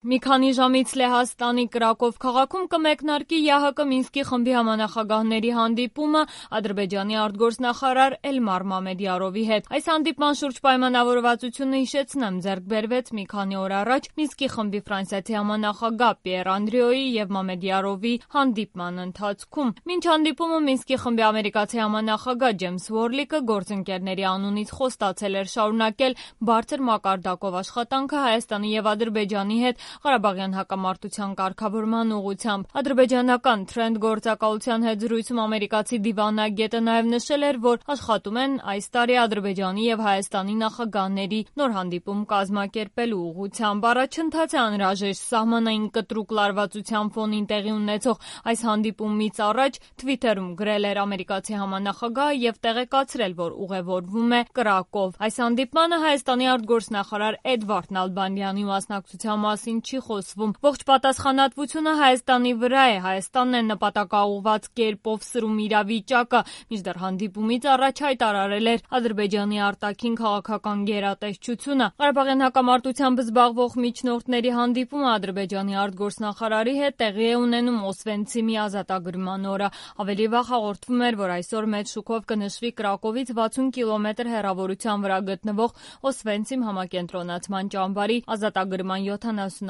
Մի քանի ժամից Լեհաստանի Կրակով քաղաքում կմեկնարկի ԵԱՀԿ Մինսկի խմբի համանախագահների հանդիպումը Ադրբեջանի արտգործնախարար Էլմար Մամեդյարովի հետ։ Այս հանդիպման շուրջ պայմանավորվածությունը, հիշեցնեմ, ձեռք բերվեց մի քանի օր առաջ Մինսկի խմբի ֆրանսիացի համանախագահ Պիեր Անդրիոյի եւ Մամեդյարովի հանդիպման ընթացքում։ Մինչ հանդիպումը Մինսկի խմբի ամերիկացի համանախագահ Ջեյմս Վորլիկը գործընկերների անունից խոստացել էր շարունակել բարձր մակարդակով աշխատանքը Հայաստանի եւ Ադրբեջանի հետ Ղարաբաղյան հակամարտության կարգավորման ուղղությամբ։ Ադրբեջանական Trend գործակալության հետ զրույցում ամերիկացի դիվանագետը նաև նշել էր, որ աշխատում են այս տարի Ադրբեջանի եւ Հայաստանի նախագահների նոր հանդիպում կազմակերպելու ուղղությամբ։ Առաջընթաց է անհրաժեշտ սահմանային կտրուկ լարվածության ֆոնին տեղի ունեցող այս հանդիպումից առաջ Twitter-ում գրել էր ամերիկացի համանախագահը եւ տեղեկացրել, որ ուղևորվում է Կրակով։ Այս հանդիպմանը Հայաստանի արտգործնախարար Էդվարդ Նալբանդյանի մասնակցության մասին չի խոսվում։ Ողջ պատասխանատվությունը Հայաստանի վրա է։ Հայաստանն է նպատակաուղղված կերպով սրում իրավիճակը, մինչդեռ հանդիպումից առաջ հայտարարել էր Ադրբեջանի արտաքին քաղաքական գերատեսչությունը։ Ղարաբաղյան հակամարտությամբ զբաղվող միջնորդների հանդիպումը Ադրբեջանի արտգործնախարարի հետ տեղի է ունենում Օսվենցիմի ազատագրման օրը։ Ավելի վաղ հաղորդվում էր, որ այսօր մեծ շուկով կնշվի Կրակովից 60 կիլոմետր հեռավորության վրա գտնվող Օսվենցիմ համակենտրոնացման ճամբարի ազատագրման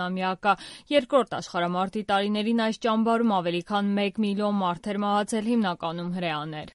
70-ամյակը։ Երկրորդ աշխարհամարտի տարիներին այս ճամբարում ավելի քան 1 միլիոն մարդ էր մահացել, հիմնականում հրեաներ։